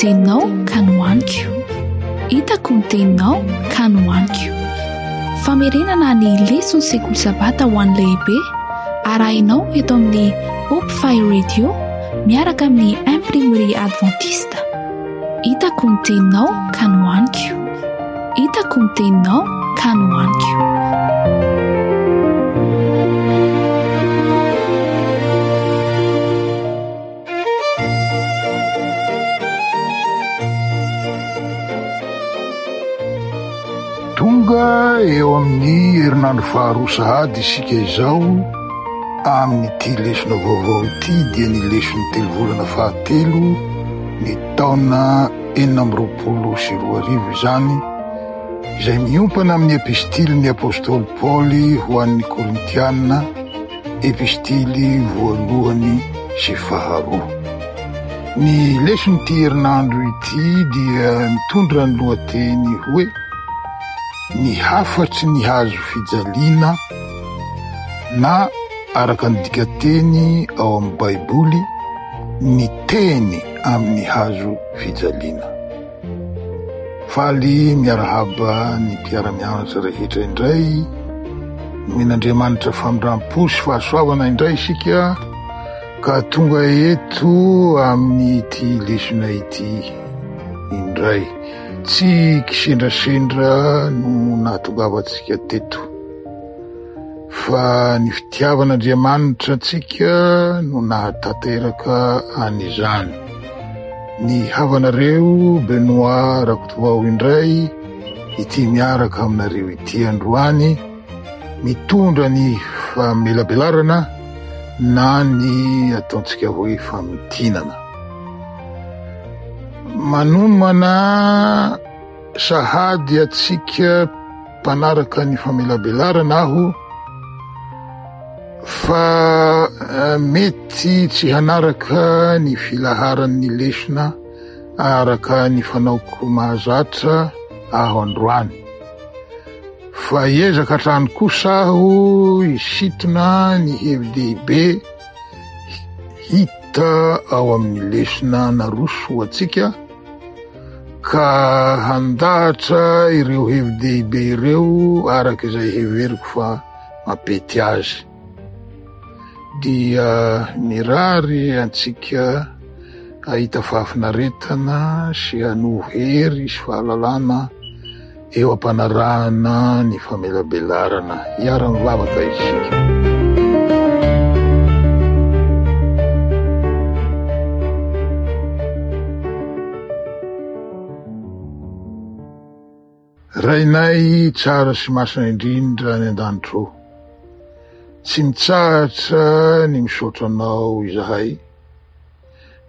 teninao ka nohaniko. Hitako ny teninao ka nohaniko. Famerenana ny leson'ny sekoly sabata ho an'ny lehibe arahinao eto amin'ny Hope Fire Radio miaraka amin'ny Imprimerie Adventiste. Hitako ny teninao ka nohaniko. Hitako ny teninao ka nohaniko. Tonga eo amin'ny herinandro faharoa sahady isika izao amin'ity lesona vaovao ity dia ny leson'ny telo volana fahatelo ny taona 2026 izany izay miompana amin'ny epistilin'ny apostoly Paoly ho an'ny Korintiana Epistily voalohany sy faharoa. Ny leson'ity herinandro ity dia mitondra ny lohateny hoe Ny hafatry ny hazo fijaliana na araka ny dikanteny ao amin'ny Baiboly, ny teny amin'ny hazo fijaliana. Faly miarahaba ny mpiara-mianatra rehetra indray. Nomen'Andriamanitra famindram-po sy fahasoavana indray isika ka tonga eto amin'ity lesona ity indray. Tsy kisendrasendra no nahatongavantsika teto. Fa ny fitiavan'Andriamanitra antsika no nahatanteraka an'izany. Ny havanareo Benoît Rakotovao indray ity miaraka aminareo ity androany mitondra ny famelabelarana na ny ataontsika hoe famintinana. Manomana Sahady antsika mpanaraka ny famelabelarana aho fa eh, mety tsy hanaraka ny filaharan'ny lesona araka ny fanaoko mahazatra aho androany. Fa hiezaka hatrany kosa aho hisintona ny hevi-dehibe hita ao amin'ny lesona naroso ho antsika ka handahatra ireo hevi-dehibe ireo araka izay heveriko fa mampety azy. Dia mirary antsika hahita fahafinaretana sy hanovo hery sy fahalalana eo am-panarahana ny famelabelarana. Hiara-mivavaka isika. Rainay tsara sy masina indrindra any an-danitra ô, tsy mitsahatra ny misaotra Anao izahay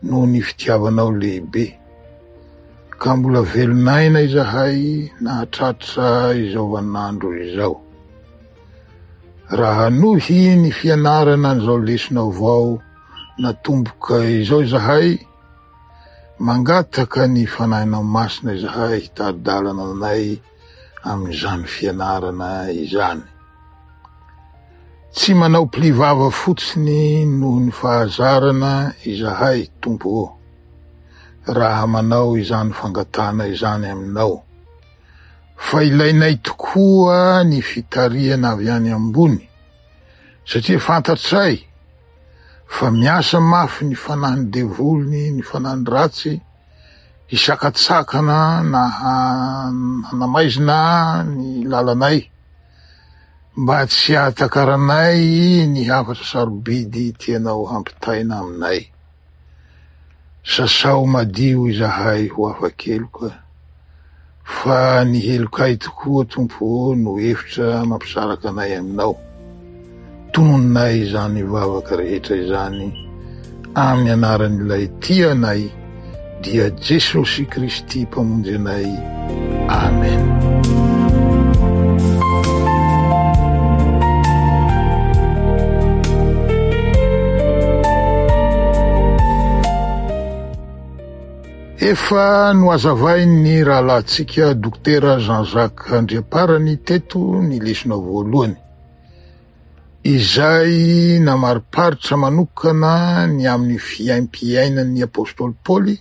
noho ny fitiavanao lehibe. Ka mbola velon'aina izahay nahatratra izao vaninandro izao. Raha hanohy ny fianarana an'izao lesona vao natomboka izao izahay, mangataka ny Fanahinao Masina izahay hitari-dalana anay amin'izany fianarana izany. Tsy manao pli-vava fotsiny noho ny fahazarana izahay, Tompo ô. raha manao izany fangatahana izany aminao, fa ilainay tokoa ny fitarihana avy any ambony, satria fantatray fa miasa mafy ny fanahin'ny devoly, ny fanahin'ny ratsy, hisakatsakana na hanamaizina ny lalanay, mba tsy hahatakaranay ny hafatra sarobidy tianao hampitaina aminay. Sasao madio izahay ho afa-keloka, fa ny helokay tokoa, Tompo ô, no efitra mampisaraka anay aminao. Tononinay izany vavaka rehetra izany amin'ny anaran'ilay tia anay, dia Jesosy Kristy Mpamonjy anay. Amen. Efa nohazavain'ny rahalahintsika Dokotera Jean Jacques Andriamparany teto ny lesona voalohany, izay namariparitra manokana ny amin'ny fiaimpiainan'ny apostoly Paoly.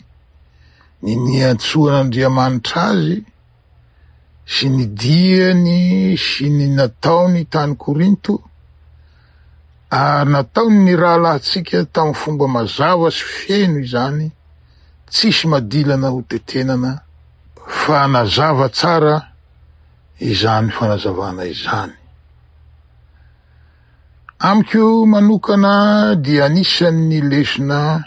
Ny niantsoan'Andriamanitra azy sy ny diany sy ny nataony tany Korinto, ary nataon'ny rahalahintsika tamin'ny fomba mazava sy feno izany, tsisy madilana ho tetenana, fa nazava tsara izany fanazavana izany. Amiko manokana dia anisan'ny lesona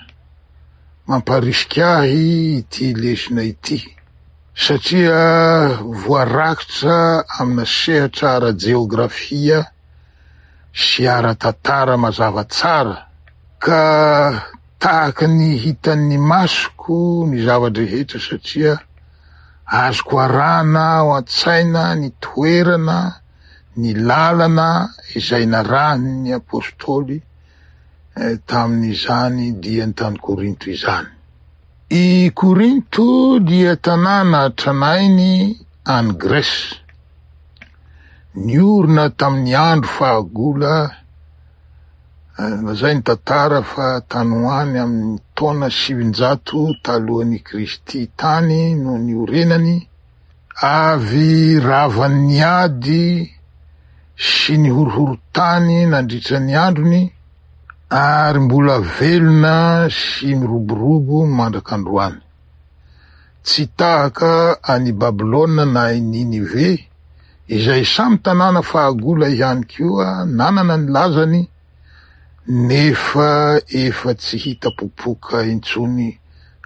mamparisika ahy ity lesona ity satria voarakitra amina sehatra ara-jeografia sy ara-tantara mazava tsara ka tahaka ny hitan'ny masoko ny zava-drehetra satria azoko arahana ao an-tsaina ny toerana ny lalana izay narahin'ny apostoly tamin'izany diany tany Korinto izany. I Korinto dia tanàna tranainy any Grèce, niorina tamin'ny andro fahagola, lazain'ny tantara fa tany ho any amin'ny taona 900 talohan'i Kristy tany no niorenany, Avy ravan'ny ady sy ny horohorontany nandritra ny androny ary mbola velona sy miroborobo mandrak'androany. Tsy tahaka an'i Babylona na i Ninive, izay samy tanàna fahagola ihany koa nanana ny lazany, nefa efa tsy hita popoka intsony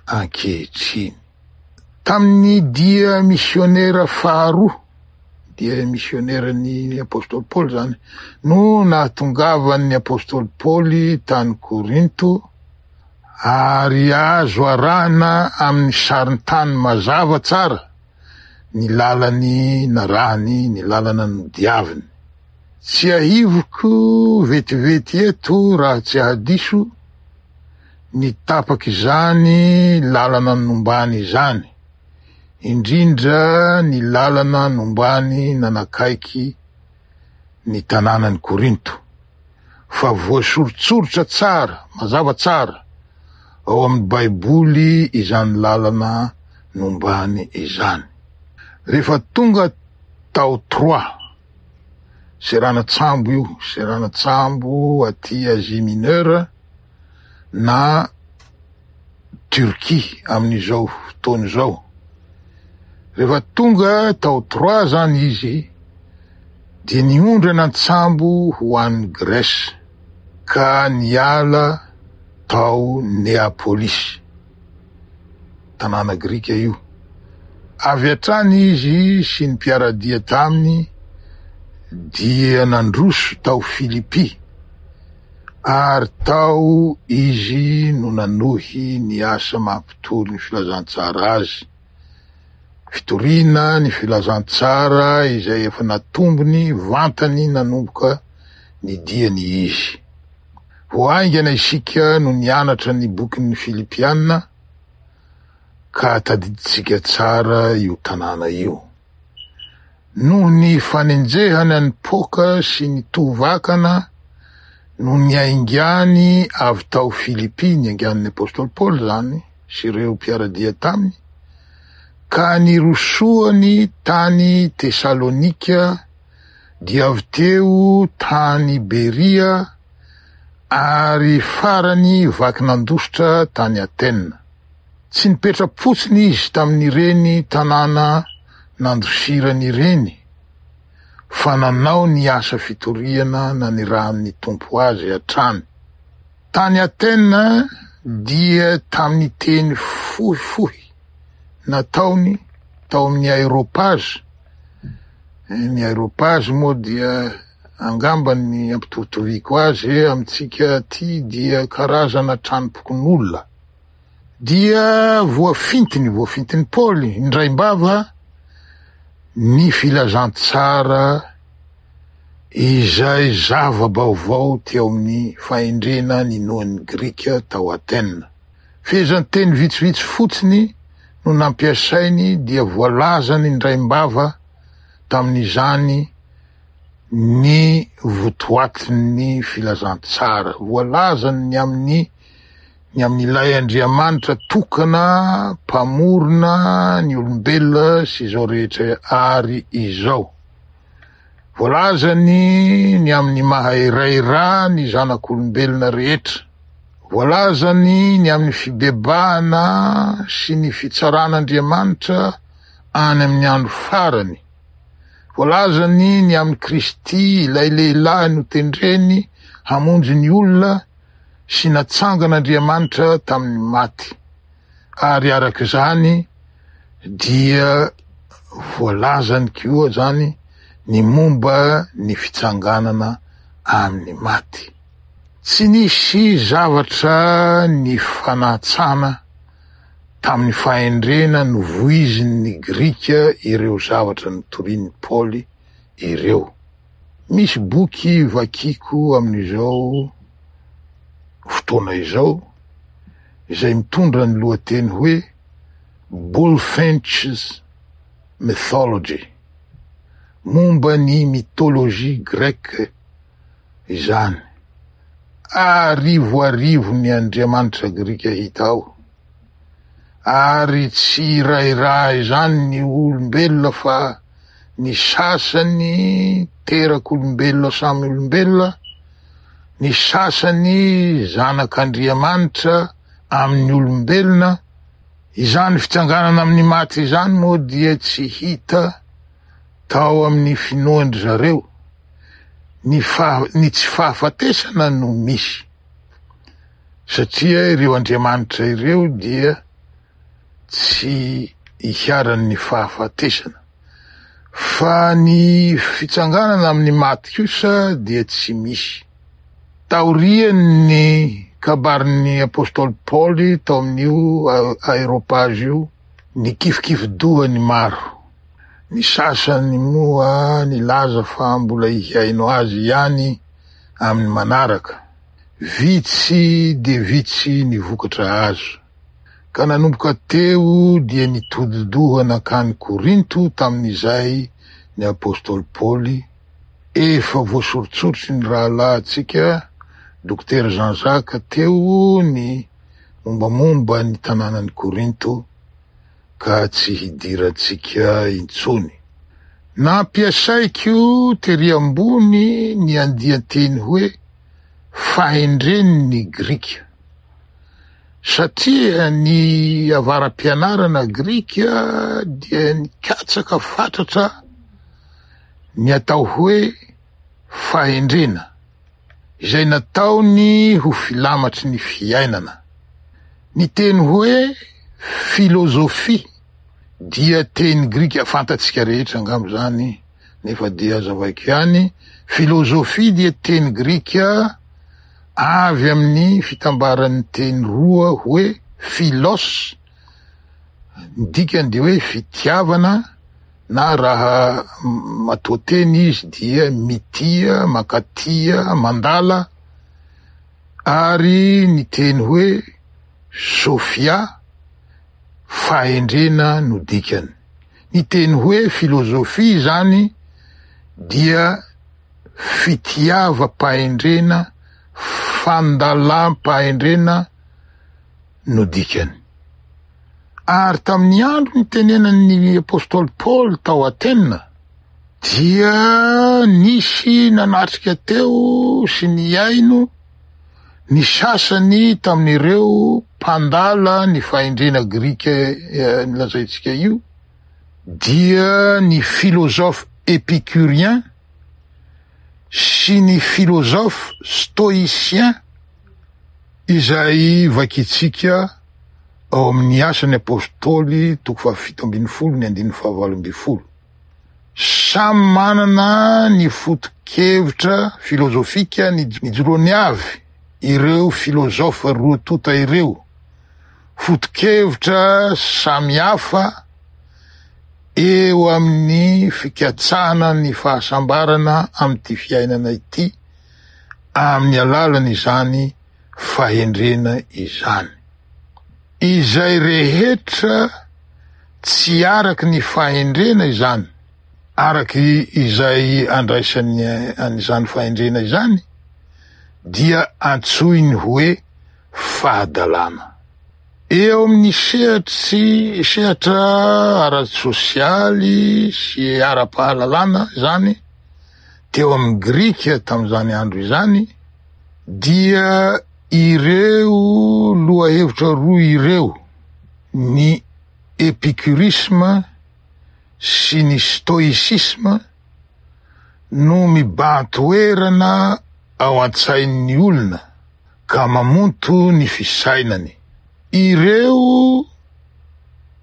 ankehitriny. Tamin'ny dia misionera faharoa, dia misioneran'ny apostoly Paoly izany, no nahatongavan'ny apostoly Paoly tany Korinto, ary azo arahina amin'ny sarintany mazava tsara ny lalany narahiny, ny lalana nodiaviny. Tsiahiviko vetivety eto raha tsy ahadiso, ny tapak'izany lalana nombany izany, indrindra ny lalana nombany nanakaiky ny tanànan'i Korinto, fa voasoritsoritra tsara, mazava tsara, ao amin'ny Baiboly izany lalana nombany izany. Rehefa tonga tao Troa, seranan-tsambo io, seranan-tsambo aty Asie Mineure, na Turquie amin'izao fotoana izao. Rehefa tonga tao Troie zany izy dia niondrana an-tsambo ho any Grèce ka niala tao Neapolis, tanàna grika io. Avy hatrany izy sy ny mpiara-dia taminy dia nandroso tao Filipy. Ary tao izy no nanohy ny asa maha-mpitory ny filazantsara azy, fitoriana ny filazantsara izay efa natombony vantany nanomboka ny diany izy. Vao haingana isika no nianatra ny bokin'ny Filipiana, ka tadidintsika tsara io tanàna io. Noho ny fanenjehana ny poka sy ny tovakana no niaingàny avy tao Filipy, niaingàn'ny apostoly Paoly izany sy ireo mpiara-dia taminy, ka nirosoany tany Tesalonika, dia avy teo tany Beria, ary farany vaky nandositra tany Atena. Tsy nipetra-potsiny izy tamin'ireny tanàna nandosirany ireny, fa nanao ny asa fitoriana nanirahan'ny Tompo azy hatrany. Tany Atena dia tamin'ny teny fohifohy nataony tao amin'ny Aeropazy, ny Aeropazy moa dia angamba ny ampitovitoviko azy amintsika aty dia karazana tranom-pokonolona, dia voafintiny, voafintin'i Paoly indraim-bava ny filazantsara izay zava-baovao teo amin'ny fahendrena ninoan'ny Grika tao Atena. Fehezanteny vitsivitsy fotsiny no nampiasainy dia voalazany indraim-bava tamin'izany ny votoatin'ny filazantsara. Voalazany ny amin'ny. Ny amin'ilay Andriamanitra tokana mpamorona ny olombelona sy izao rehetra ary izao. Voalazany ny amin'ny maha iray ra ny zanak'olombelona rehetra. Voalazany ny amin'ny fibebahana sy ny fitsaran'Andriamanitra any amin'ny andro farany. Voalazany ny amin'i Kristy, ilay lehilahy notendreny hamonjy ny olona sy natsangan'Andriamanitra tamin'ny maty. Ary araka izany dia voalazany koa izany ny momba ny fitsanganana amin'ny maty. Tsy nisy zavatra nifanatsana tamin'ny fahendrena novoizin'ny Grika ireo zavatra notorian'i Paoly ireo. Misy boky vakiko amin'izao fotoana izao izay mitondra ny lohateny hoe Bulfinch's Mythology, momba ny mythologie grecque izany. Arivoarivo ny andriamanitra grika hita ao, ary tsy iray ra izany ny olombelona fa ny sasany terak'olombelona samy olombelona, ny sasany zanak'Andriamanitra amin'ny olombelona, izany fitsanganana amin'ny maty izany moa dia tsy hita tao amin'ny finoan-dry zareo, ny faha, ny tsy fahafatesana no misy, satria ireo andriamanitra ireo dia tsy iharan'ny fahafatesana. Fa ny fitsanganana amin'ny maty kosa dia tsy misy. Taorian'ny kabarin'ny apostoly Paoly tao amin'io aeropazy io, nikifikifi-doha ny maro. Ny sasany moa nilaza fa mbola hihaino azy ihany amin'ny manaraka. Vitsy dia vitsy ny vokatra azo. Ka nanomboka teo dia nitodi-doha nankany Korinto tamin'izay ny apostoly Paoly, efa voasoritsoritry ny rahalahintsika Dokotera Jean Jacques teo ny mombamomba ny tanànan'i Korinto ka tsy hidirantsika intsony. Nampiasaiko tery ambony ny andian-teny hoe fahendren'ny Grika. Satria ny avara-pianarana grika dia nikatsaka fatratra ny atao hoe fahendrena, izay nataony ho filamatry ny fiainana. Ny teny hoe filôzôfia dia teny grika fantatsika rehetra angamba izany, nefa dia hazavaiko ihany, filôzôfia dia teny grika Avy amin'ny fitambaran'ny teny roa hoe philos, ny dikany dia hoe fitiavana na raha matoanteny izy dia mitia, mankatia, mandala, ary ny teny hoe sophia, fahendrena no dikany. Ny teny hoe filozofia izany dia fitiavam-pahendrena, fandalam-pahendrena no dikany. Ary tamin'ny andro nitenenan'ny apostoly Paoly tao Atena, dia nisy nanatrika teo sy nihaino ny sasany tamin'ireo mpandala ny fahendrena grika eh, nilazaintsika io, dia ny philosophe épicurien sy ny philosophe stoïcien izay vakintsika ao amin'ny Asan'ny Apostoly toko faha-17 ny andininy faha-18. Samy manana ny foto-kevitra filozofika nijoroany avy ireo filozofa roa tonta ireo. Foto-kevitra samihafa eo amin'ny fikatsahana ny fahasambarana amin'ity fiainana ity amin'ny alalan'izany fahendrena izany. Izay rehetra tsy araky ny fahendrena izany, araky izay andraisany an'izany fahendrena izany, dia antsoiny hoe. fahadalana. Eo amin'ny sehatry sehatra ara-tsosialy sy ara-pahalalana izany, teo amin'ny Grika tamin'izany andro izany, dia ireo lohahevitra roa ireo, ny epikurisma sy ny stoïsisma, no mibahan-toerana ao an-tsain'ny olona ka mamonto ny fisainany. Ireo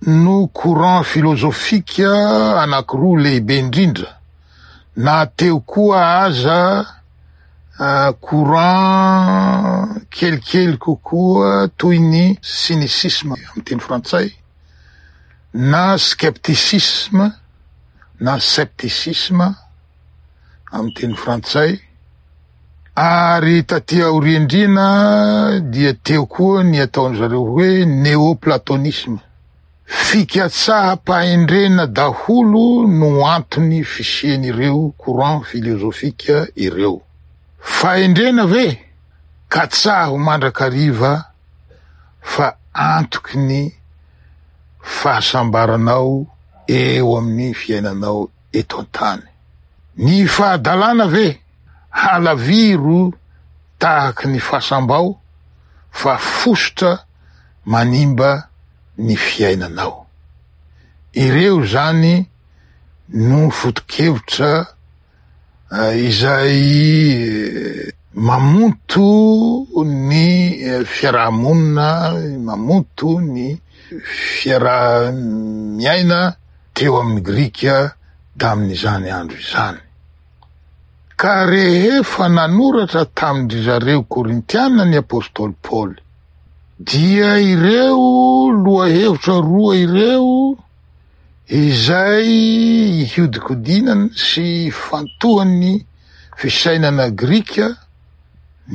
no courant filozofika anankiroa lehibe indrindra, na teo koa aza courant kelikely kokoa toy ny cynicisme amin'ny teny frantsay na skepticisme na scepticisme amin'ny teny frantsay. Ary taty aoriandriana dia teo koa ny ataon-dry zareo hoe néoplatonisme. Fikatsaham-pahendrena daholo no antony fisian'ireo courant filozofika ireo. Fahendrena ve? Katsaho mandrakariva fa antoky ny fahasambaranao eo amin'ny fiainanao eto an-tany. Ny fahadalana ve? Halaviro tahaky ny fasam-bao fa fositra manimba ny fiainanao. Ireo izany no foto-kevitra izay mamonto ny fiaraha-monina, mamonto ny fiaraha-miaina teo amin'ny Grika tamin'izany andro izany. Ka rehefa nanoratra tamin-dry zareo Korintiana ny apostoly Paoly, dia ireo lohahevitra roa ireo izay ihodinkodinany sy ifantohan'ny fisainana grika,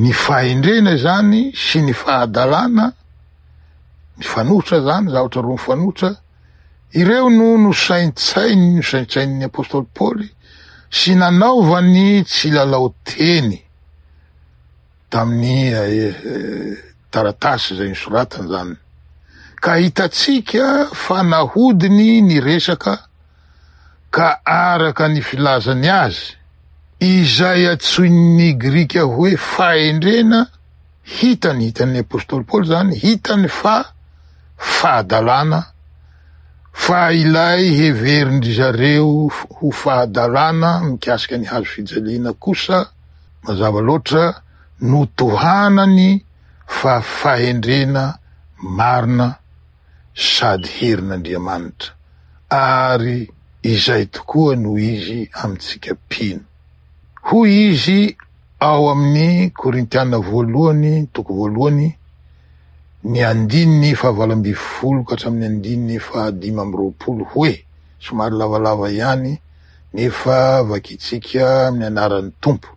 ny fahendrena izany sy ny fahadalana, mifanohitra izany, zavatra roa mifanohitra, Ireo no nosaintsainy nosaintsainin'ny apostoly Paoly sy nanaovany tsilalao teny tamin'ny taratasy izay nosoratany izany. Ka hitantsika fa nahodiny ny resaka ka araka ny filazany azy, izay antsoin'ny Grika hoe fahendrena, Hitany, hitan'ny apostoly Paoly izany, hitany fa fahadalana, fa ilay heverin-dry zareo ho fahadalana mikasika ny hazo fijaliana kosa, mazava loatra, notohanany fa fahendrena marina sady herin'Andriamanitra, ary izay tokoa no izy amintsika mpino. Hoy izy Ao amin'ny Korintiana voalohany toko voalohany ny andininy faha-18 ka hatramin'ny andininy faha-25 hoe, somary lavalava ihany nefa vakintsika amin'ny anaran'ny Tompo,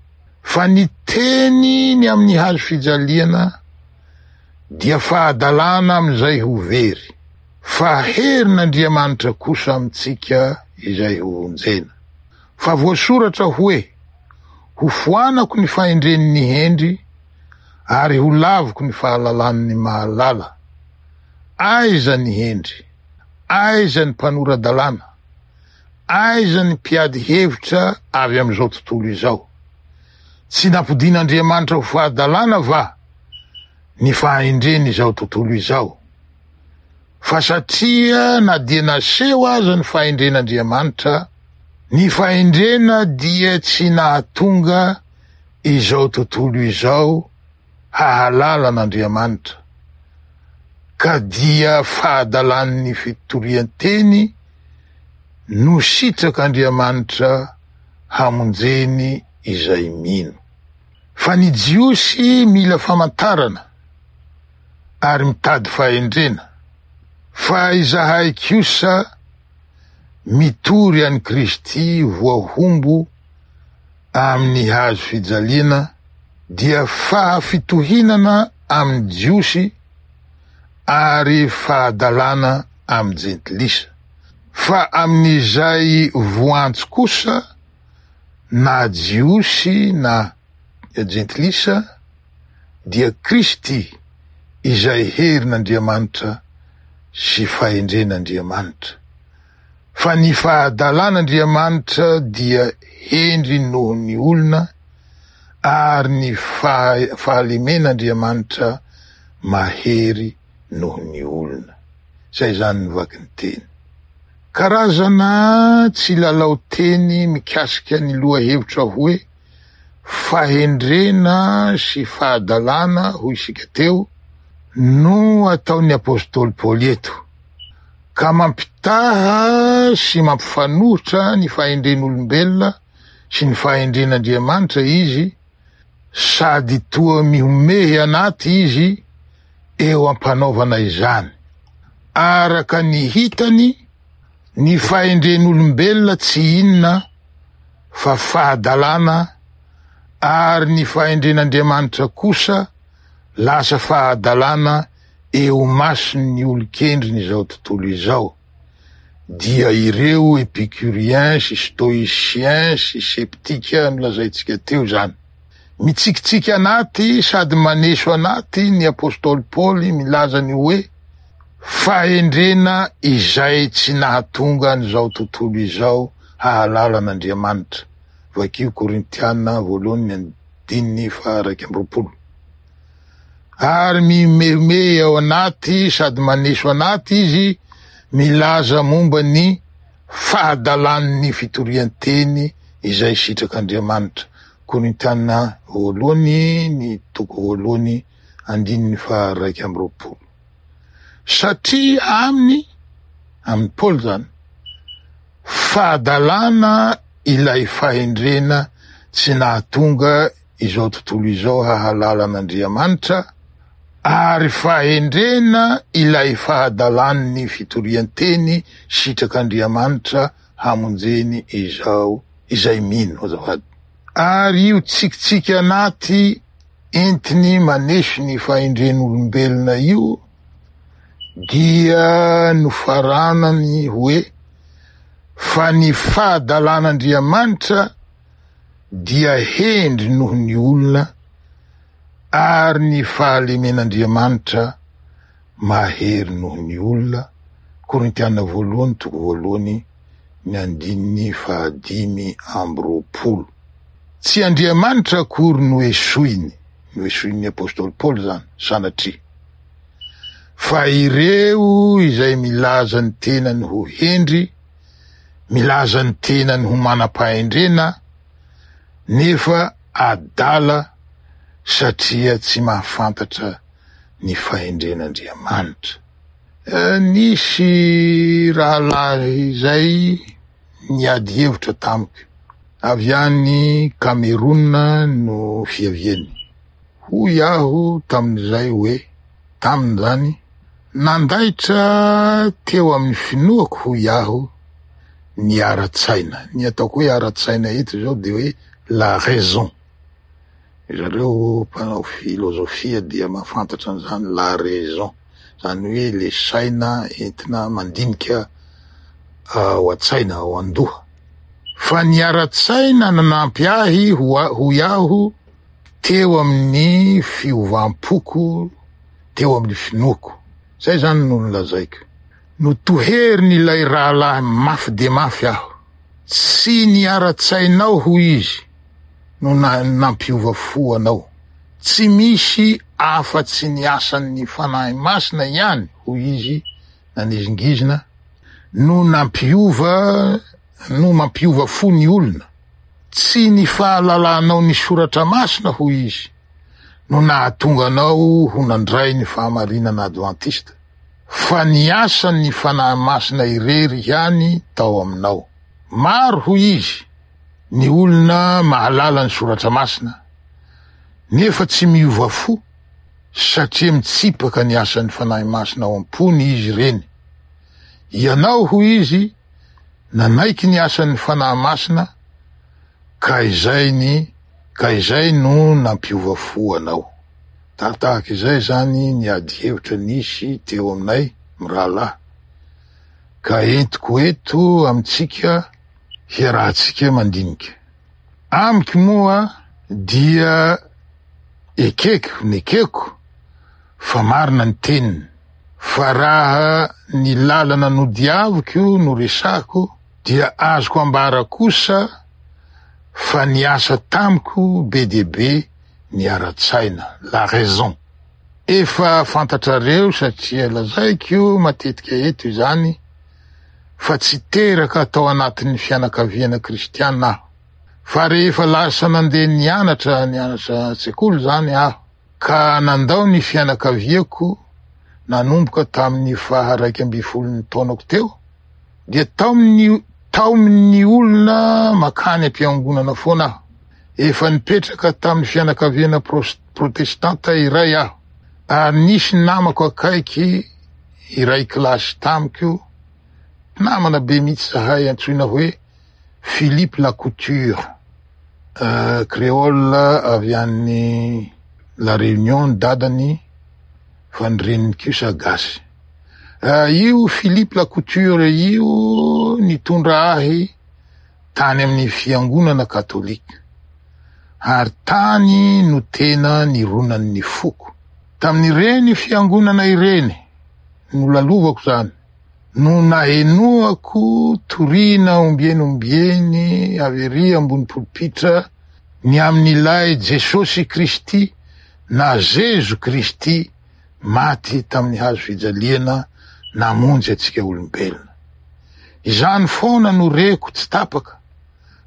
fa ny teny ny amin'ny hazo fijaliana dia fahadalana amin'izay ho very, fa herin'Andriamanitra kosa amintsika izay ho vonjena. Fa voasoratra hoe, Ho foanako ny fahendren'ny hendry, ary ho laviko ny fahalalan'ny mahalala. Aiza ny hendry? Aiza ny mpanora-dalàna? Aiza ny mpiady hevitra avy amin'izao tontolo izao? Tsy nampodian'Andriamanitra ho fahadalana va ny fahendren'izao tontolo izao? Fa satria na dia naseho aza ny fahendren'Andriamanitra, ny fahendrena dia tsy nahatonga izao tontolo izao hahalala an'Andriamanitra, ka dia fahadalan'ny fitorian-teny no sitrak'Andriamanitra hamonjeny izay mino. Fa ny Jiosy mila famantarana ary mitady fahendrena, fa izahay kosa mitory an'i Kristy voahombo amin'ny hazo fijaliana dia fahafitohinana amin'ny Jiosy ary fahadalana amin'ny Jentilisa. Fa amin'izay voantso kosa, na Jiosy na Jentilisa, dia Kristy. izay herin'Andriamanitra sy fahendren'Andriamanitra. Fa ny fahadalan'Andriamanitra dia hendry noho ny olona, ary ny fahalemen'Andriamanitra mahery noho ny olona. Izay izany ny vakin-teny. Karazana tsilalao teny mikasika ny lohahevitra hoe fahendrena sy fahadalana hoy isika teo no ataon'ny apostoly Paoly eto, ka mampitaha sy mampifanohitra ny fahendren'olombelona sy ny fahendren'Andriamanitra izy, sady toa mihomehy anaty izy eo am-panaovana izany. Araka ny hitany, ny fahendren'olombelona tsy inona fa fahadalana ary ny fahendren'Andriamanitra kosa lasa fahadalana eo mason'ny olon-kendrin'izao tontolo izao, dia ireo epicuriens sy stoïciens sy sceptiques nolazaintsika teo izany. Mitsikitsiky anaty sady maneso anaty ny apostoly Paoly milaza ny hoe fahendrena izay tsy nahatonga an'izao tontolo izao hahalala an'Andriamanitra, vakio Korintiana voalohany andininy faha 21. Ary mihomehimehy ao anaty sady maneso anaty izy milaza momba ny fahadalan'ny fitorian-teny izay sitrak'Andriamanitra, Korintiana voalohany ny toko voalohany andininy faha 21. Satria aminy, amin'i Paoly izany, fahadalana ilay fahendrena tsy nahatonga izao tontolo izao hahalala an'Andriamanitra, ary fahendrena ilay fahadalan'ny fitorian-teny sitrak'Andriamanitra hamonjeny izao izay mino, azafady. Ary io tsikitsiky anaty entiny maneso ny fahendren'olombelona io dia nofaranany hoe fa ny fahadalan'Andriamanitra dia hendry noho ny olona ary ny fahalemen'Andriamanitra mahery noho ny olona, Korintiana voalohany toko voalohany ny andininy fahadimy amby roapolo. Tsy Andriamanitra akory no esoiny, no esoin'ny apostoly Paoly izany, sanatria, fa ireo izay milaza ny tenany ho hendry, milaza ny tenany ho manam-pahendrena, nefa adala satria tsy mahafantatra ny fahendren'Andriamanitra. Nisy rahalahy izay niady hevitra tamiko, avy any Cameroun no fiaviany. Hoy aho tamin'izay hoe, tamin'izany, nandaitra teo amin'ny finoako hoy aho ny ara-tsaina. Ny ataoko hoe ara-tsaina eto izao dia hoe la raison. Zareo mpanao filozofia dia mahafantatra an'izany la raison, izany hoe le saina entina mandinika ao an-tsaina, ao an-doha. Fa ny ara-tsaina nanampy ahy hoy aho teo amin'ny fiovam-poko, teo amin'ny finoako. Zay zany no nolazaiko. Notoherin'ilay rahalahy mafy dia mafy aho. Tsy ny ara-tsainao hoy izy no nampiova fo anao. Tsy misy afa-tsy ny asan'ny Fanahy Masina ihany hoy izy nanizingizina no nampiova no mampiova fo ny olona. Tsy ny fahalalanao ny Soratra Masina hoy izy no nahatonga anao ho nandray ny fahamarinana advantista, fa ny asan'ny Fanahy Masina irery ihany tao aminao. Maro hoy izy ny olona mahalala ny Soratra Masina nefa tsy miova fo satria mitsipaka ny asan'ny Fanahy Masina ao am-pony izy ireny. Ianao hoy izy nanaiky ny asan'ny Fanahy Masina ka izay ny ka izay no nampiova fo anao. Tahatahaka izay izany ny ady hevitra nisy teo aminay mirahalahy ka entiko eto amintsika hiarahantsika mandinika. Amiko moa dia ekeko, nekeko. Fa marina ny teniny. Fa raha ny lalana nodiaviko no resahiko dia azoko ambara kosa fa niasa tamiko be dia be ny ara-tsaina, la raison. Efa fantatrareo satria lazaiko matetika eto izany fa tsy teraka tao anatin'ny fianakaviana kristiana aho. Fa rehefa lasa nandeha nianatra, nianatra an-tsekoly izany aho, ka nandao ny fianakaviako nanomboka tamin'ny faha 11 taonako teo, dia taomin'ny taomin'ny olona makany am-piangonana foana aho. Efa nipetraka tamin'ny fianakaviana protestanta iray aho, ary nisy namako akaiky iray kilasy tamiko, mpinamana be mihitsy zahay, antsoina hoe Philippe Lacouture, Créole avy any La Réunion ny dadany fa ny reniny kosa gasy. Io Philippe Lacouture io nitondra ahy tany amin'ny fiangonana katolika ary tany no tena nironan'ny foko. Tamin'ireny fiangonana ireny nolalovako izany. no nahenoako toriana ombieny ombieny avy ery ambony polipitra ny amin'ilay Jesosy Kristy na Zezo Kristy maty tamin'ny hazo fijaliana namonjy antsika olombelona. Izany foana no reko tsy tapaka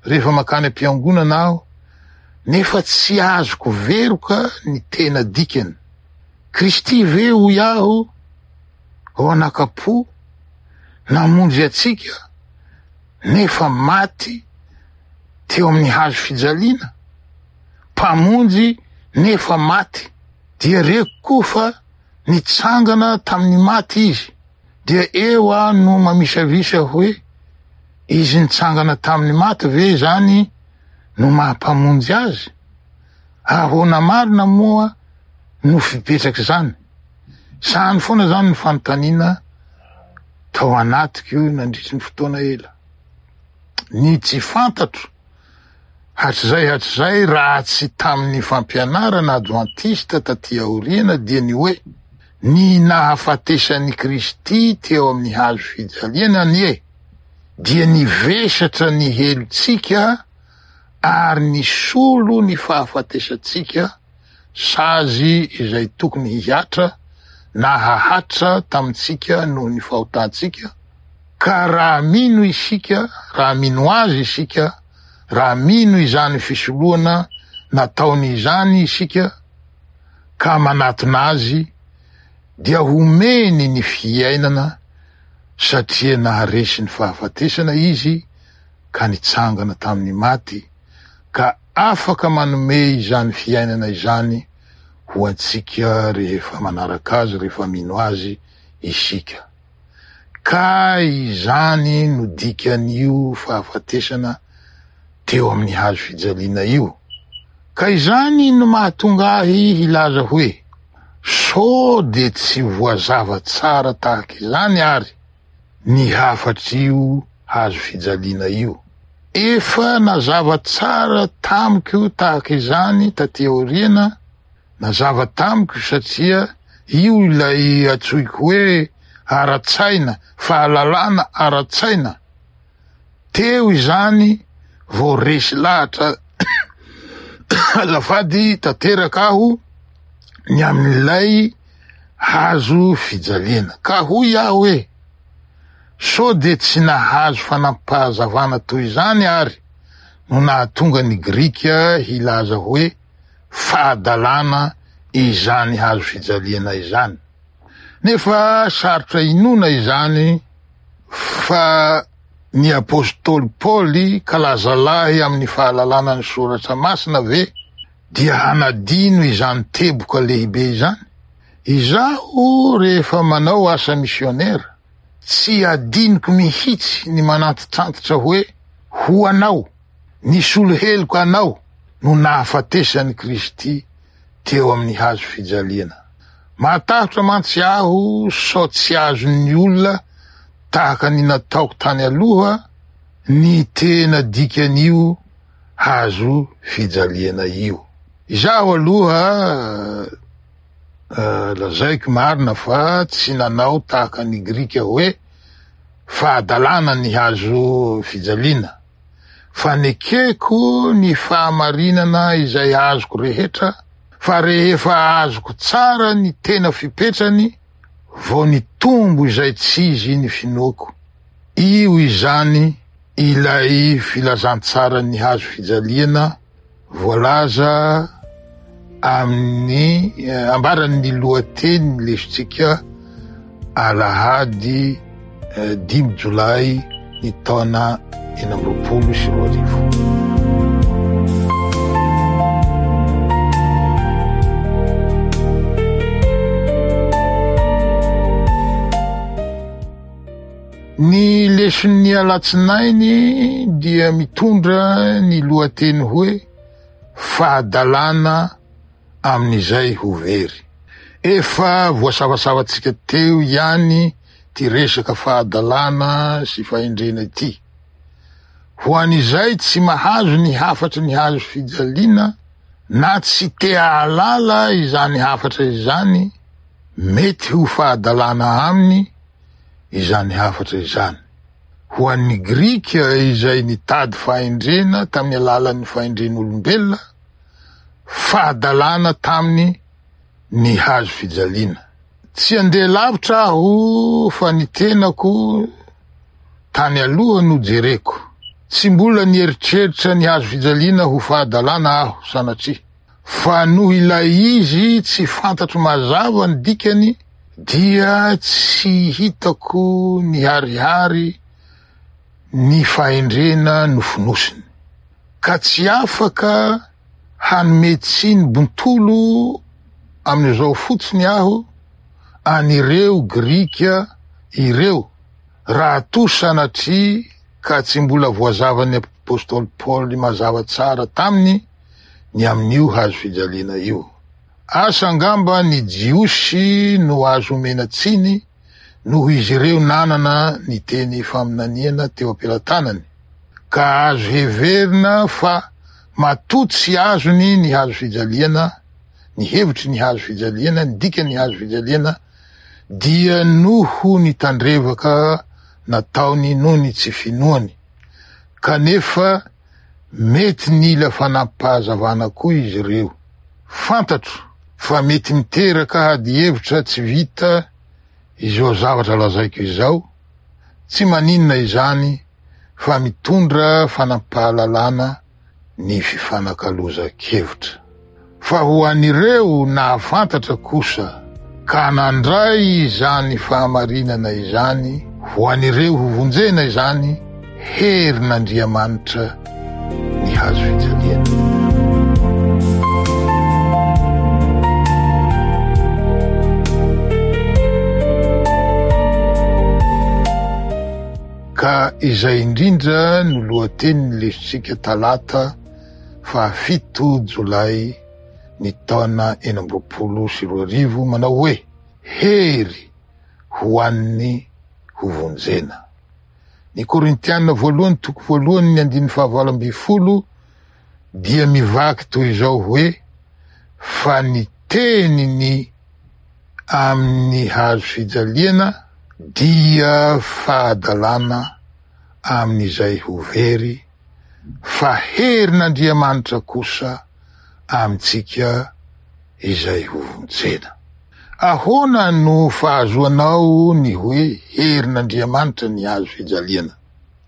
rehefa makany am-piangonana aho nefa tsy azoko veroka ny tena dikany. Kristy ve hoy aho ao anakapo namonjy antsika nefa maty teo amin'ny hazo fijaliana, Mpamonjy nefa maty, dia reko koa fa nitsangana tamin'ny maty izy, dia eo aho no mamisavisa hoe izy nitsangana tamin'ny maty ve izany no maha mpamonjy azy? Ahoana marina moa no fipetrak'izany? Izany foana izany ny fanontaniana tao anatiko nandritry ny fotoana ela. Ny tsy fantatro hatrizay hatrizay raha tsy tamin'ny fampianarana advantista taty aoriana dia ny hoe ny nahafatesan'i Kristy teo amin'ny hazo fijaliana anie dia nivesatra ny helotsika ary nisolo ny fahafatesantsika sazy izay tokony hihatra na hahatra tamintsika noho ny fahotantsika, ka raha mino isika, raha mino Azy isika, raha mino izany fisoloana nataony izany isika, ka manatona Azy, dia homeny ny fiainana satria naharesy ny fahafatesana Izy ka nitsangana tamin'ny maty, ka afaka manome izany fiainana izany ho antsika rehefa manaraka Azy, rehefa mino Azy isika. Ka izany no dikan'io fahafatesana teo amin'ny hazo fijaliana io. Ka izany no mahatonga ahy hilaza hoe, sao dia tsy voazava tsara tahaka izany ary ny hafatr'io hazo fijaliana io. Efa nazava tsara tamiko tahaka izany taty aoriana, nazava tamiko satria io ilay antsoiko hoe ara-tsaina, fahalalana ara-tsaina. Teo izany vao resy lahatra azafady tanteraka aho ny amin'ilay hazo fijaliana. Ka hoy aho hoe, sao dia tsy nahazo fanampahazavana toy izany ary no nahatonga ny Grika hilaza hoe fahadalana izany hazo fijaliana izany. Nefa sarotra inoana izany fa ny apostoly Paoly kalazalahy amin'ny fahalalana ny soratra masina ve dia hanadino izany teboka lehibe izany? Izaho rehefa manao asa misionera, tsy adinoko mihitsy ny manantitrantitra hoe ho anao, nisolo heloka anao no nahafatesan'i Kristy teo amin'ny hazo fijaliana. Mahatahotra mantsy aho sao tsy azon'ny olona tahaka ny nataoko tany aloha ny tena dikan'io hazo fijaliana io. Izaho aloha. Lazaiko marina fa tsy nanao tahaka ny Grika hoe fahadalana ny hazo fijaliana, fa nekeko ny fahamarinana izay azoko rehetra, fa rehefa azoko tsara ny tena fipetrany vao nitombo izay tsy izy ny finoako. Io izany ilay filazantsaran'ny hazo fijaliana voalaza amin'ny ambaran'ny lohateny lesontsika alahady dimy jolay ny taona 2026. Ny leson'ny alatsinainy dia mitondra ny lohateny hoe Fahadalana amin'izay ho very. Efa voasavasavantsika teo ihany ity resaka fahadalana sy fahendrena ity. Ho an'izay tsy mahazo ny hafatry ny hazo fijaliana na tsy te hahalala izany hafatra izany, mety ho fahadalana aminy izany hafatra izany. Ho an'ny Grika izay nitady fahendrena tamin'ny alalan'ny fahendren'olombelona, fahadalana taminy ny hazo fijaliana. Tsy handeha lavitra aho fa ny tenako tany aloha no jereko. Tsy mbola nieritreritra ny hazo fijaliana ho fahadalana aho sanatria. Fa noho ilay izy tsy fantatro mazava ny dikany dia tsy hitako niharihary ny fahendrena nofonosiny. Ka tsy afaka hanome tsiny bontolo amin'izao fotsiny aho an'ireo Grika ireo raha toa sanatria ka tsy mbola voazavan'ny apostoly Paoly mazava tsara taminy ny amin'io hazo fijaliana io. Asa angamba ny Jiosy no azo omena tsiny noho izy ireo nanana ny teny faminaniana teo am-pelatanany, ka azo heverina fa matoa tsy azony ny hazo fijaliana, ny hevitry ny hazo fijaliana, ny dikan'ny hazo fijaliana, dia noho ny tandrevaka nataony noho ny tsy finoany. Kanefa Mety nila fanampahazavana koa izy ireo. Fantatro fa mety miteraka adihevitra tsy vita izao zavatra lazaiko izao, tsy maninona izany fa mitondra fanampahalalana ny fifanakalozan-kevitra. Fa ho an'ireo nahafantatra kosa ka nandray izany fahamarinana izany, ho an'ireo hovonjena izany, herin'Andriamanitra ny hazo fijaliana. Ka izay indrindra no lohatenin'ny lesontsika talata fahafito jolay ny taona 2026 manao hoe Hery ho an'ny hovonjena. Ny Korintiana voalohany toko voalohany ny andininy faha-18 dia mivaky toy izao hoe fa ny teny ny amin'ny hazo fijaliana dia fahadalana amin'izay ho very fa herin'Andriamanitra kosa amintsika izay hovonjena. Ahoana no fahazoanao ny hoe herin'Andriamanitra ny hazo fijaliana?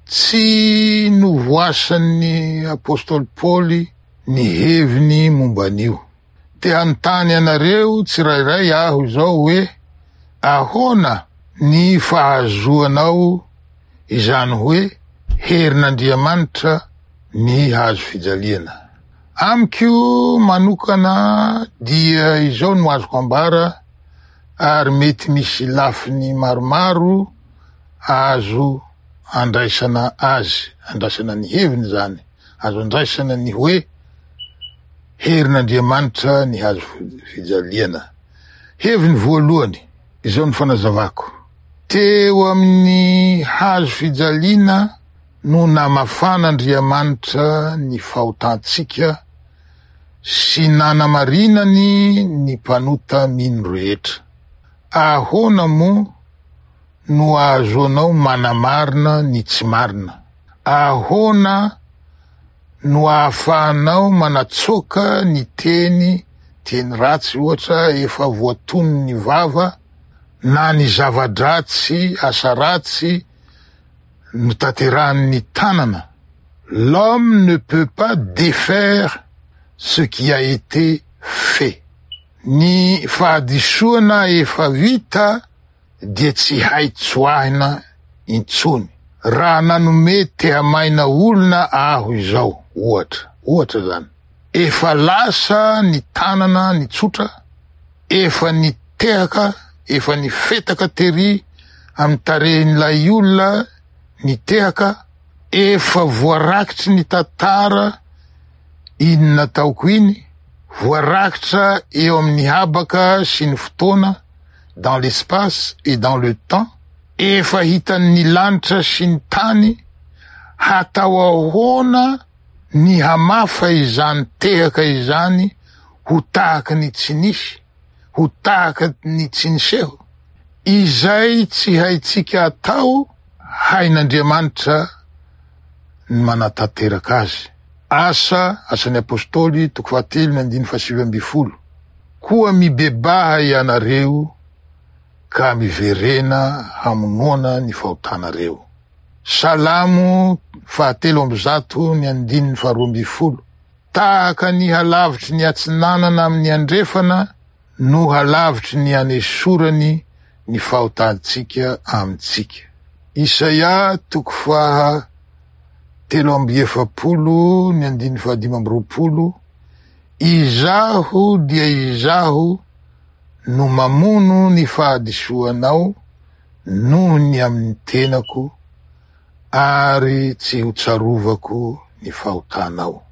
Tsy novoasan'ny apostoly Paoly ny heviny momba an'io. Te hanontany anareo tsirairay aho izao hoe ahoana ny fahazoanao izany hoe herin'Andriamanitra ny hazo fijaliana. Amiko manokana dia izao no azoko ambara ary mety misy lafiny maromaro azo andraisana azy, andraisana ny heviny izany, azo andraisana ny hoe herin'Andriamanitra ny hazo fijaliana. Heviny voalohany, izao no fanazavako, teo amin'ny hazo fijaliana no namafan'Andriamanitra ny fahotantsika. sy nanamarinany ny mpanota mino rehetra. Ahoana moa no ahazoanao manamarina ny tsy marina? Ahoana no ahafahanao manatsoaka ny teny, teny ratsy ohatra efa voatonon'ny vava, na ny zava-dratsy, asa ratsy notanterahan'ny tanana? L'homme ne peut pas défaire ce qui a été fait. Ny fahadisoana efa vita dia tsy hay tsoahina intsony. Raha nanome tehamaina olona aho izao, ohatra, ohatra izany, efa lasa ny tanana nitsotra, efa nitehaka, efa nifetaka tery amin'ny tarehin'ilay olona nitehaka, efa voarakitry ny tantara iny nataoko iny, voarakitra eo amin'ny habaka sy ny fotoana, dans l'espace et dans le temps, efa hitan'ny lanitra sy ny tany, hatao ahoana ny hamafa izany tehaka izany ho tahaka ny tsy nisy, ho tahaka ny tsy niseho? Izay tsy haintsika atao, hain'Andriamanitra ny manatanteraka azy. Asa, Asan'ny Apostoly, toko fahatelo ny andininy fahasivy ambin'ny folo. Koa mibebaha ianareo ka miverena hamonoana ny fahotanareo. Salamo 133 ny andininy faharoa ambin'ny folo. Tahaka ny halavitry ny atsinanana amin'ny andrefana no halavitry ny anesorany ny fahotantsika amintsika. Isaia toko faha43 ny andininy faha25. Izaho dia Izaho no mamono ny fahadisoanao noho ny amin'ny tenako, ary tsy ho tsarovako ny fahotanao.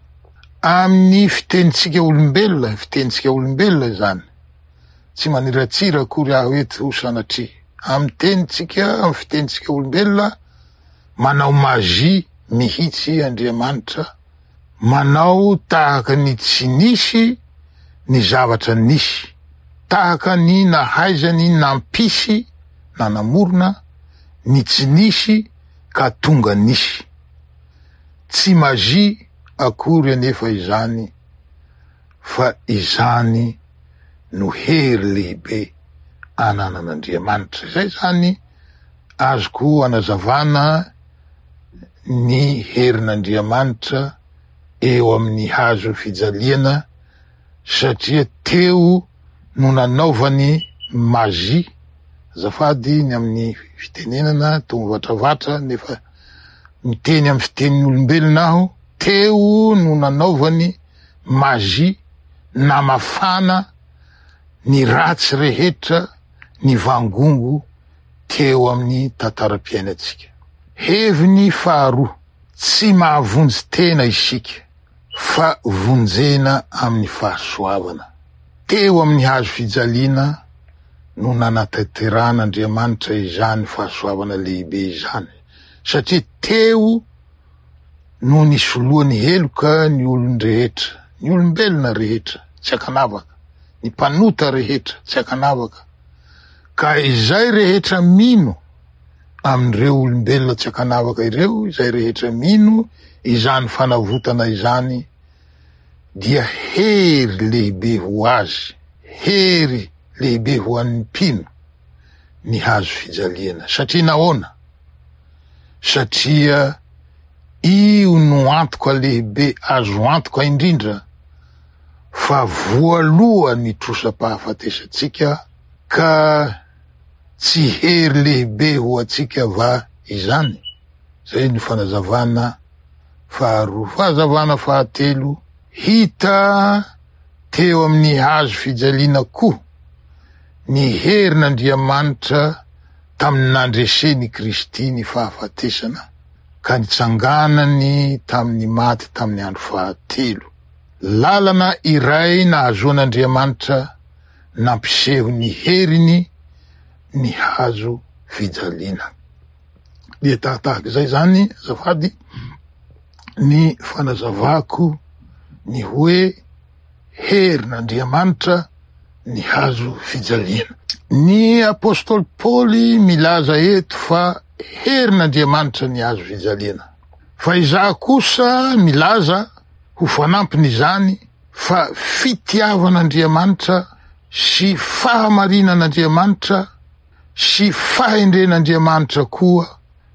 Amin'ny fitenintsika olombelona, fitenintsika olombelona izany, tsy maniratsira akory aho eto sanatria. Amin'ny tenintsika, amin'ny fitenintsika olombelona, manao magie mihitsy Andriamanitra, manao tahaka ny tsy nisy ny zavatra nisy, tahaka ny nahaizany nampisy na namorona ny tsy nisy ka tonga nisy. Tsy magie akory anefa izany fa izany no hery lehibe ananan'Andriamanitra. Izay izany azoko anazavana ny herin'Andriamanitra eo amin'ny hazo fijaliana satria teo no nanaovany magie, azafady ny amin'ny fitenenana toa mivatravatra nefa miteny amin'ny fitenin'ny olombelona aho, teo no nanaovany magie namafana ny ratsy rehetra nivangongo teo amin'ny tantaram-piainantsika. Heviny faharoa, tsy mahavonjy tena isika fa vonjena amin'ny fahasoavana. Teo amin'ny hazo fijaliana no nanatanteran'Andriamanitra izany fahasoavana lehibe izany, satria teo no nisoloany heloka ny olon-drehetra, ny olombelona rehetra tsy ankanavaka, ny mpanota rehetra tsy ankanavaka, ka izay rehetra mino amin'ireo olombelona tsy ankanavaka ireo, izay rehetra mino izany fanavotana izany dia hery lehibe ho azy, hery lehibe ho an'ny mpino ny hazo fijaliana. Satria nahoana? Satria io no antoka lehibe azo antoka indrindra fa voaloa ny trosam-pahafatesantsika ka tsy hery lehibe ho antsika va izany? Izay no fanazavana faharoa. Fahazavana fahatelo, hita teo amin'ny hazo fijaliana koa ny herin'Andriamanitra tamin'ny nandresen'i Kristy ny fahafatesana ka nitsanganany tamin'ny maty tamin'ny andro fahatelo. Lalana iray nahazoan'Andriamanitra nampiseho ny heriny ny hazo fijaliana. Dia tahatahaka izay izany, azafady, ny fanazavako ny hoe. herin'Andriamanitra ny hazo fijaliana. Ny apostoly Paoly milaza eto fa herin'Andriamanitra ny hazo fijaliana. Fa izaho kosa milaza ho fanampin'izany fa fitiavan'Andriamanitra sy fahamarinan'Andriamanitra sy fahendren'Andriamanitra koa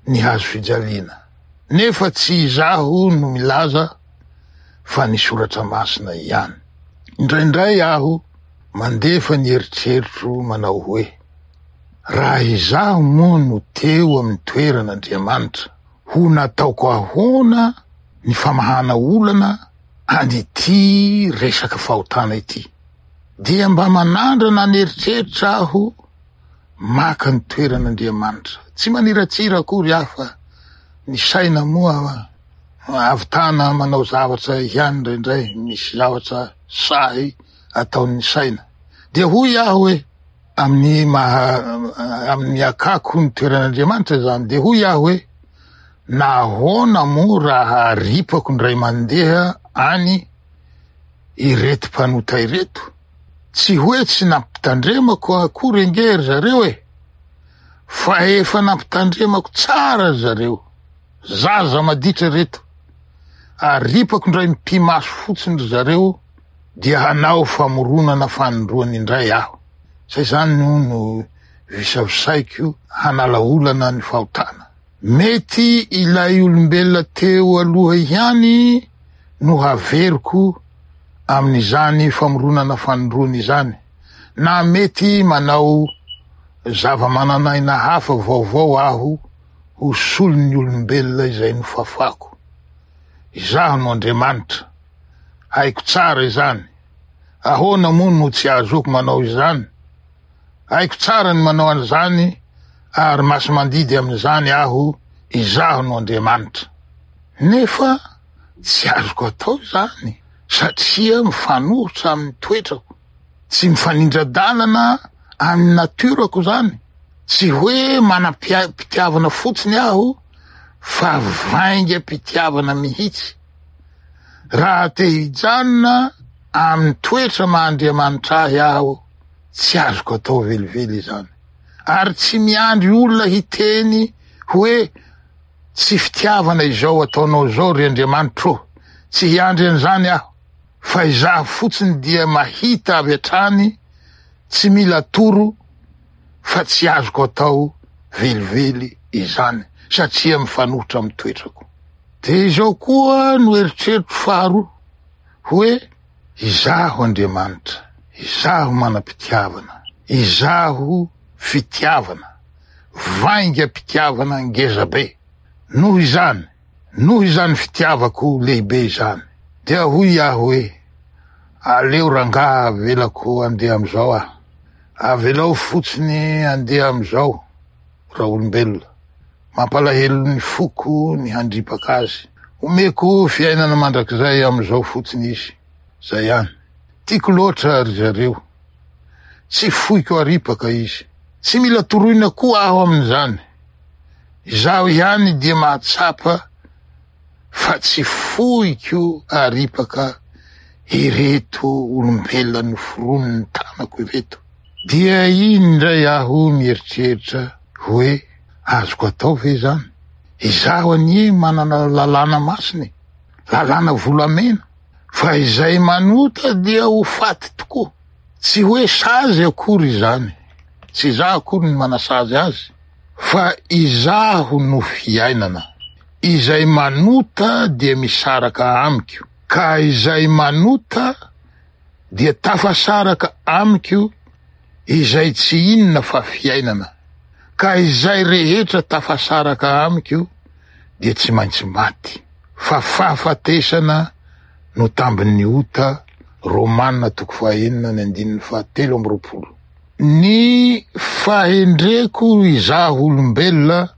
ny hazo fijaliana. Nefa tsy izaho no milaza fa ny soratra masina ihany. Indraindray aho mandefa ny eritreritro manao hoe, Raha izaho moa no teo amin'ny toeran'Andriamanitra, ho nataoko ahoana ny famahana olana an'ity resaka fahotana ity? Dia mba manandrana an'eritreritra aho maka ny toeran'Andriamanitra. Tsy maniratsira akory aho fa ny saina moa ahavitana manao zavatra ihany indraindray, misy zavatra sahy ataon'ny saina. Dia hoy aho hoe, amin'ny maha amin'ny akako ny toeran'Andriamanitra izany, dia hoy aho hoe, nahoana moa raha aripako indray mandeha any ireto mpanota ireto? Tsy hoe tsy nampitandremako akory ange ry zareo e! Fa efa nampitandremako tsara ry zareo. Zaza maditra ireto. Aripako indray mipi-maso fotsiny ry zareo dia hanao famoronana fanindroany indray aho. Zay zany no no visavisaiko hanala olana ny fahotana. Mety ilay olombelona teo aloha ihany no haveriko amin'izany famoronana fanindroany izany, na mety manao zava-manan'aina hafa vaovao aho ho solon'ny olombelona izay nofafako. Izaho no Andriamanitra. Haiko tsara izany. Ahoana moa no tsy ahazoako manao izany? Haiko tsara ny manao an'izany ary masi-mandidy amin'izany aho, izaho no Andriamanitra. Nefa tsy azoko atao izany satria mifanohitra amin'ny toetrako. Tsy mifanindra-dalana amin'ny natiorako izany. Tsy hoe manam-pitiavana fotsiny aho fa vaingam-pitiavana mihitsy. Raha te hijanona amin'ny toetra maha Andriamanitra ahy aho, tsy azoko atao velively izany. Ary tsy miandry olona hiteny hoe tsy fitiavana izao ataonao izao ry Andriamanitro ô. Tsy hiandry an'izany aho. Fa izaho fotsiny dia mahita avy hatrany tsy mila atoro fa tsy azoko atao velively izany satria mifanohitra amin'ny toetrako. Dia izao koa no eritreritro faharoa hoe izaho Andriamanitra, izaho manam-pitiavana, izaho fitiavana, vaingam-pitiavana ngeza be. Noho izany, noho izany fitiavako lehibe izany, dia hoy aho hoe, aleo rangaha avelako andeha amin'izao aho. Avelao fotsiny andeha amin'izao raolombelona. Mampalahelo ny foko ny handripaka azy. Omeko fiainana mandrakizay amin'izao fotsiny izy. Zay ihany. Tiako loatra ry zareo. Tsy foiko aripaka izy. Tsy mila toroina koa aho amin'izany. Izaho ihany dia mahatsapa fa tsy foiko aripaka ireto olombelona noforonin'ny tanako ireto. Dia iny indray aho mieritreritra hoe azoko atao ve izany? Izaho anie manana lalàna masina e, lalàna volamena, fa izay manota dia ho faty tokoa. Tsy hoe sazy akory izany, tsy izaho akory no manasazy azy, fa izaho no fiainana. Izay manota dia misaraka amiko, ka izay manota dia tafasaraka amiko izay tsy inona fa fiainana, ka izay rehetra tafasaraka amiko dia tsy maintsy maty, fa fahafatesana no tambin'ny ota, Romana toko fahenina ny andininy fahatelo amby roapolo. Ny fahendreko izaho olombelona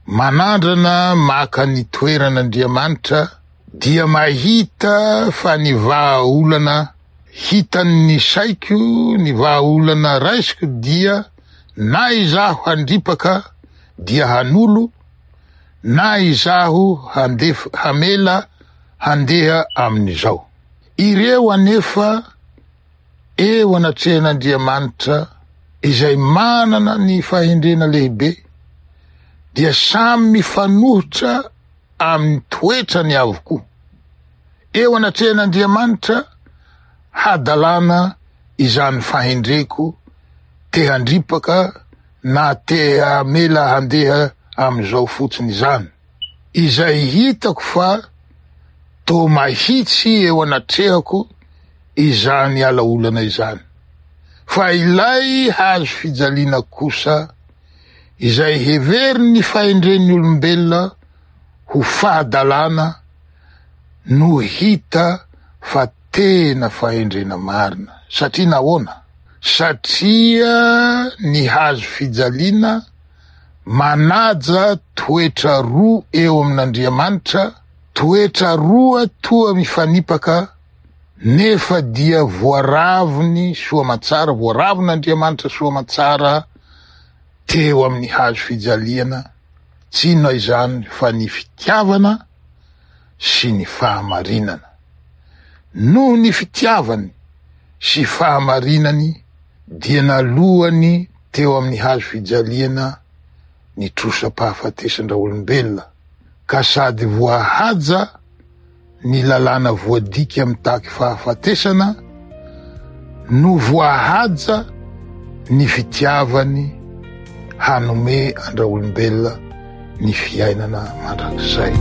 manandrana maka ny toeran'Andriamanitra dia mahita fa ny vahaolana hitan'ny saiko, ny vahaolana raisiko dia na izaho handripaka dia hanolo, na izaho handef hamela handeha amin'izao. Ireo anefa eo anatrehan'Andriamanitra izay manana ny fahendrena lehibe dia samy mifanohitra amin'ny toetrany avokoa. Eo anatrehan'Andriamanitra hadalana izany fahendreko te handripaka na te hamela handeha amin'izao fotsiny izany. Izay hitako fa toa mahitsy eo anatrehako izany ala-olana izany. Fa ilay hazo fijaliana kosa, izay heverin'ny fahendren'ny olombelona ho fahadalana, no hita fa tena fahendrena marina. Satria nahoana? Satria ny hazo fijaliana manaja toetra roa eo amin'Andriamanitra, toetra roa toa mifanipaka nefa dia voaravony soamantsara, voaravon'Andriamanitra soamantsara teo amin'ny hazo fijaliana, tsy inona izany fa ny fitiavana sy ny fahamarinana. Noho ny fitiavany sy fahamarinany dia nalohany teo amin'ny hazo fijaliana ny trosam-pahafatesan-draolombelona, ka sady voahaja ny lalàna voadika mitaky fahafatesana no voahaja ny fitiavany hanome an-draolombelona ny fiainana mandrakizay.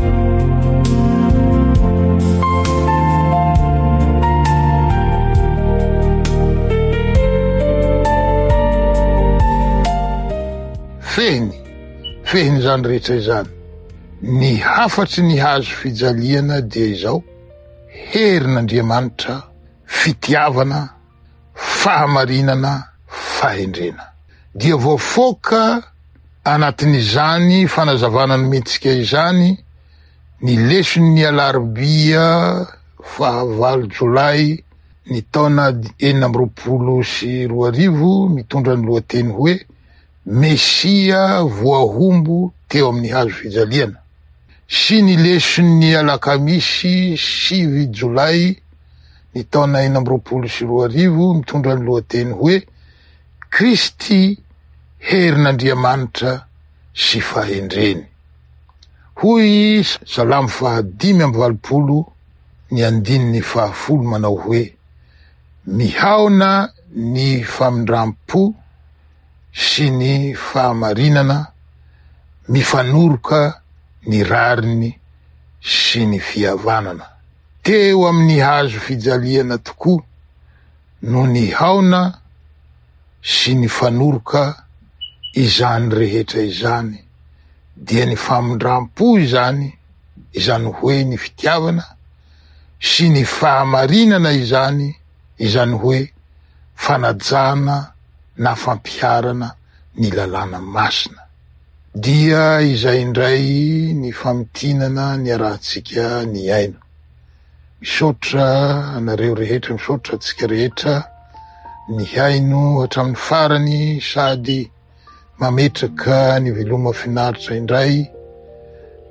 Fehiny, fehiny izany rehetra izany. Ny hafatry ny hazo fijaliana dia izao, herin'Andriamanitra, fitiavana, fahamarinana, fahendrena. Dia voafoaka anatin'izany fanazavana nomentsika izany ny leson'ny alarobia fahavalo jolay ny taona 2026 mitondra ny lohateny hoe Mesia voahombo teo amin'ny hazo fijaliana sy ny leson'ny alakamisy sivy jolay ny taona 2026 mitondra ny lohateny hoe Kristy herin'Andriamanitra sy fahendreny. Hoy Salamo faha 85 ny andininy faha-10 manao hoe mihaona ny famindram-po sy ny fahamarinana, mifanoroka ny rariny sy ny fihavanana. Teo amin'ny hazo fijaliana tokoa no nihaona sy nifanoroka izany rehetra izany, dia ny famindram-po izany, izany hoe ny fitiavana, sy ny fahamarinana izany, izany hoe fanajana na fampiharana ny lalàna masina. Dia izay indray ny famintinana niarahantsika nihaino. Misaotra anareo rehetra, misaotra antsika rehetra nihaino hatramin'ny farany sady mametraka ny veloma finaritra indray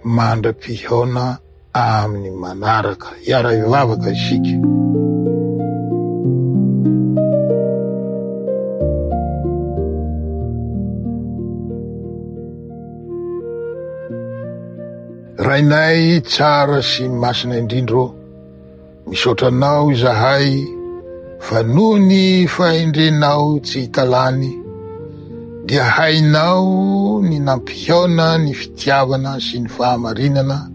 mandra-pihaona amin'ny manaraka. Hiara-hivavaka isika. Rainay tsara sy masina indrindra ô, Misaotra Anao izahay fa noho ny fahendrenao tsy hita lany dia hainao ny nampihaona ny fitiavana sy ny fahamarinana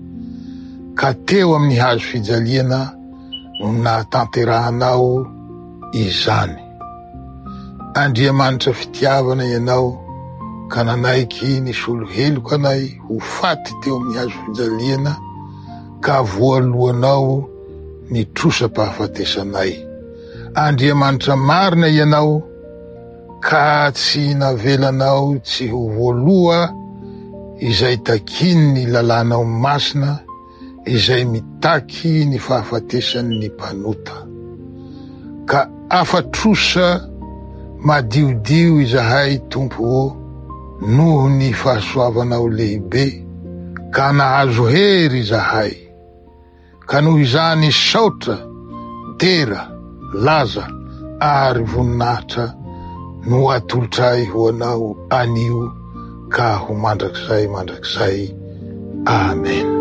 ka teo amin'ny hazo fijaliana no nahatanterahanao izany. Andriamanitra fitiavana Ianao ka nanaiky nisolo heloka anay ho faty teo amin'ny hazo fijaliana ka voaloanao ny trosam-pahafatesanay. Andriamanitra marina Ianao ka tsy navelanao tsy ho voaloa izay takian'ny lalànao masina izay mitaky ny fahafatesan'ny mpanota. Ka afa-trosa madiodio izahay Tompo ô noho ny fahasoavanao lehibe ka nahazo hery izahay. Ka noho izany saotra, Dera, laza ary voninahitra no atolotray ho Anao anio ka ho mandrakizay mandrakizay. Amen.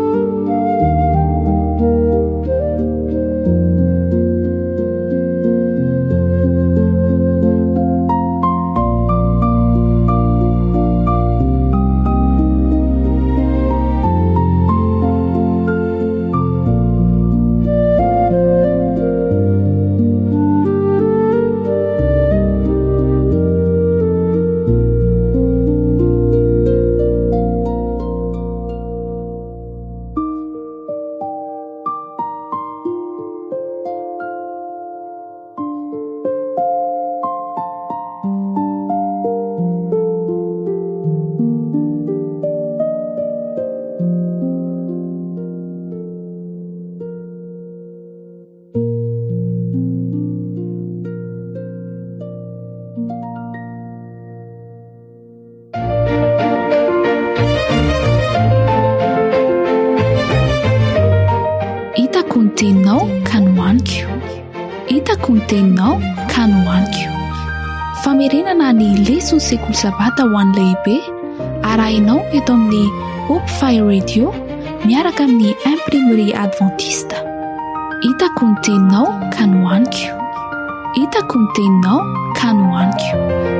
Hitako ny teninao ka nohaniko. Hitako ny teninao ka nohaniko. Famerenana ny leson'ny sekoly sabata ho an'ny lehibe arahinao eto amin'ny Hope Fire Radio miaraka amin'ny Imprimerie Adventiste. Hitako ny teninao ka nohaniko. Hitako ny teninao ka nohaniko.